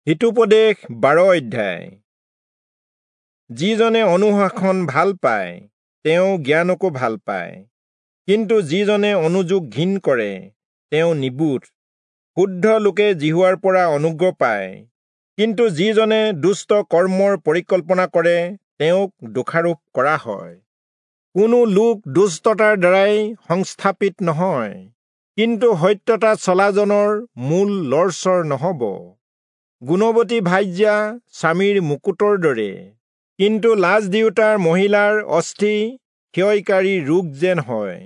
হিতোপদেশ 12 অধ্যায়। যিজনে অনুশাসন ভাল পায় তেওঁ জ্ঞানকো ভাল পায়, কিন্তু যিজনে অনুযোগ ঘিণ কৰে তেওঁ নিবোধ। শুদ্ধ লোকে যিহোৱাৰ পৰা অনুগ্ৰহ পায়, কিন্তু যিজনে দুষ্ট কৰ্মৰ পৰিকল্পনা কৰে তেওঁক দোষাৰোপ কৰা হয়। কোনো লোক দুষ্টতাৰ দ্বাৰাই সংস্থাপিত নহয়, কিন্তু সত্যতা চলাজনৰ মূল লৰচৰ নহ'ব। গুণৱতী ভাৰ্যা স্বামীৰ মুকুটৰ দৰে, কিন্তু লাজ দিওঁতাৰ মহিলাৰ অস্থি ক্ষয়কাৰী ৰোগ যেন হয়।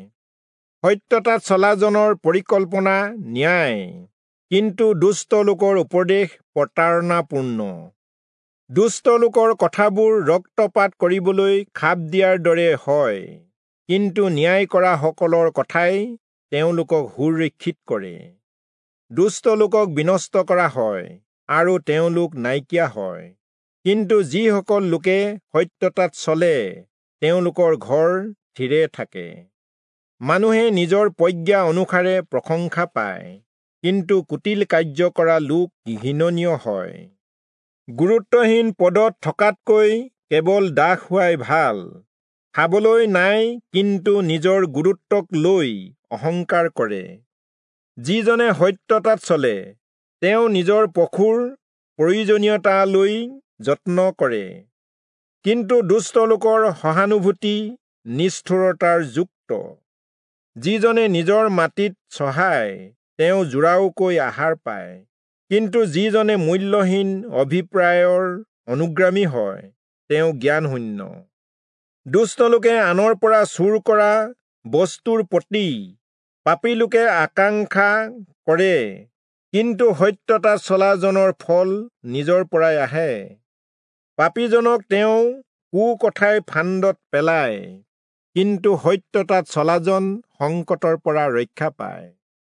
সত্যতাত চলাজনৰ পৰিকল্পনা ন্যায়, কিন্তু দুষ্ট লোকৰ উপদেশ প্ৰতাৰণাপূৰ্ণ। দুষ্ট লোকৰ কথাবোৰ ৰক্তপাত কৰিবলৈ খাপ দিয়াৰ দৰে হয়, কিন্তু ন্যায় কৰাসকলৰ কথাই তেওঁলোকক সুৰক্ষিত কৰে। দুষ্ট লোকক বিনষ্ট কৰা হয় আৰু তেওঁলোক নাইকিয়া হয়, কিন্তু যিসকল লোকে সত্যতাত চলে তেওঁলোকৰ ঘৰ থিৰে থাকে। মানুহে নিজৰ প্ৰজ্ঞা অনুসাৰে প্ৰশংসা পায়, কিন্তু কুটিল কাৰ্য কৰা লোক ঘৃণনীয় হয়। গুৰুত্বহীন পদত থকাতকৈ কেৱল দাস হোৱাই ভাল। খাবলৈ নাই, কিন্তু নিজৰ গুৰুত্বক লৈ অহংকাৰ কৰে। যিজনে সত্যতাত চলে তেওঁ নিজৰ পশুৰ প্ৰয়োজনীয়তালৈ যত্ন কৰে, কিন্তু দুষ্ট লোকৰ সহানুভূতি নিষ্ঠুৰতাৰ যুক্ত। যিজনে নিজৰ মাটিত চহায় তেওঁ জোৰাওকৈ আহাৰ পায়, কিন্তু যিজনে মূল্যহীন অভিপ্ৰায়ৰ অনুগ্ৰামী হয় তেওঁ জ্ঞানশূন্য। দুষ্ট লোকে আনৰ পৰা চুৰ কৰা বস্তুৰ প্ৰতি পাপী লোকে আকাংক্ষা কৰে, কিন্তু সত্যতা চলাজনৰ ফল নিজৰ পৰাই আহে। পাপীজনক তেওঁ কুকথাই ফান্দত পেলায়, কিন্তু সত্যতাত চলাজন সংকটৰ পৰা ৰক্ষা পায়।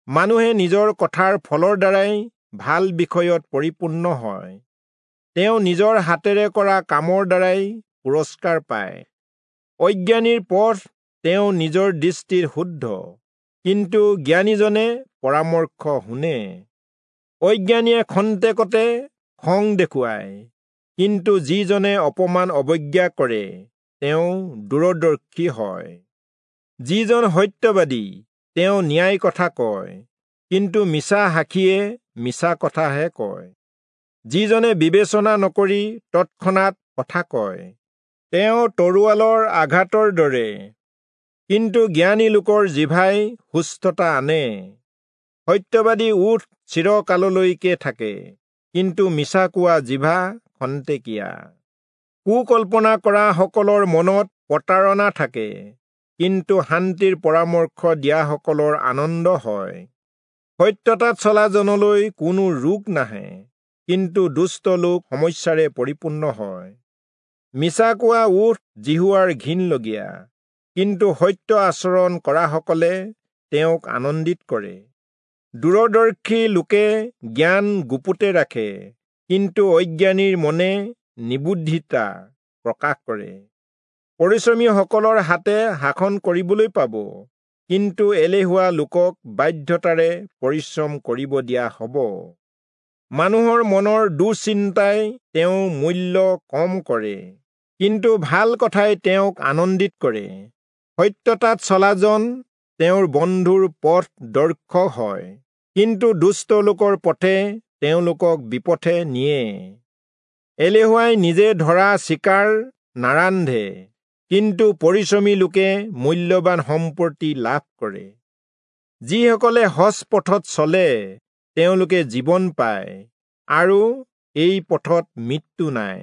মানুহে নিজৰ কথাৰ ফলৰ দ্বাৰাই ভাল বিষয়ত পৰিপূৰ্ণ হয়, তেওঁ নিজৰ হাতেৰে কৰা কামৰ দ্বাৰাই পুৰস্কাৰ পায়। অজ্ঞানীৰ পথ তেওঁ নিজৰ দৃষ্টিত শুদ্ধ, কিন্তু জ্ঞানীজনে পৰামৰ্শ শুনে। অজ্ঞানীয়ে খন্তেকতে খং দেখুৱায়, কিন্তু যিজনে অপমান অৱজ্ঞা কৰে তেওঁ দূৰদৰ্শী হয়। যিজন সত্যবাদী তেওঁ ন্যায় কথা কয়, কিন্তু মিছা সাক্ষীয়ে মিছা কথাহে কয়। যিজনে বিবেচনা নকৰি তৎক্ষণাত কথা কয় তেওঁ তৰোৱালৰ আঘাতৰ দৰে, কিন্তু জ্ঞানী লোকৰ জিভাই সুস্থতা আনে। সত্যবাদী ওঁঠ চিৰকাললৈকে থাকে, কিন্তু মিছা কোৱা জিভা খন্তেকীয়া। কুকল্পনা কৰা সকলৰ মনত প্ৰতাৰণা থাকে, কিন্তু শান্তিৰ পৰামৰ্শ দিয়াসকলৰ আনন্দ হয়। সত্যতাত চলাজনলৈ কোনো ৰোগ নাহে, কিন্তু দুষ্ট লোক সমস্যাৰে পৰিপূৰ্ণ হয়। মিছা কোৱা ওঁঠ যিহোৱাৰ ঘিণলগীয়া, কিন্তু সত্য আচৰণ কৰাসকলে তেওঁক আনন্দিত কৰে। দূৰদৰ্শী লোকে জ্ঞান গুপুতে ৰাখে, কিন্তু অজ্ঞানীৰ মনে নিবুদ্ধিতা প্ৰকাশ কৰে। পৰিশ্ৰমীসকলৰ হাতে শাসন কৰিবলৈ পাব, কিন্তু এলেহুৱা লোকক বাধ্যতাৰে পৰিশ্ৰম কৰিব দিয়া হ'ব। মানুহৰ মনৰ দুশ্চিন্তাই তেওঁ মূল্য কম কৰে, কিন্তু ভাল কথাই তেওঁক আনন্দিত কৰে। সত্যতাত চলাজন তেওঁৰ বন্ধুৰ পথ দৰ্শক হয়, কিন্তু দুষ্ট লোকৰ পথে তেওঁলোকক বিপথে নিয়ে। এলেহুৱাই নিজে ধৰা চিকাৰ নাৰান্ধে, কিন্তু পৰিশ্ৰমী লোকে মূল্যৱান সম্পত্তি লাভ কৰে। যিসকলে সজ পথত চলে তেওঁলোকে জীৱন পায়, আৰু এই পথত মৃত্যু নাই।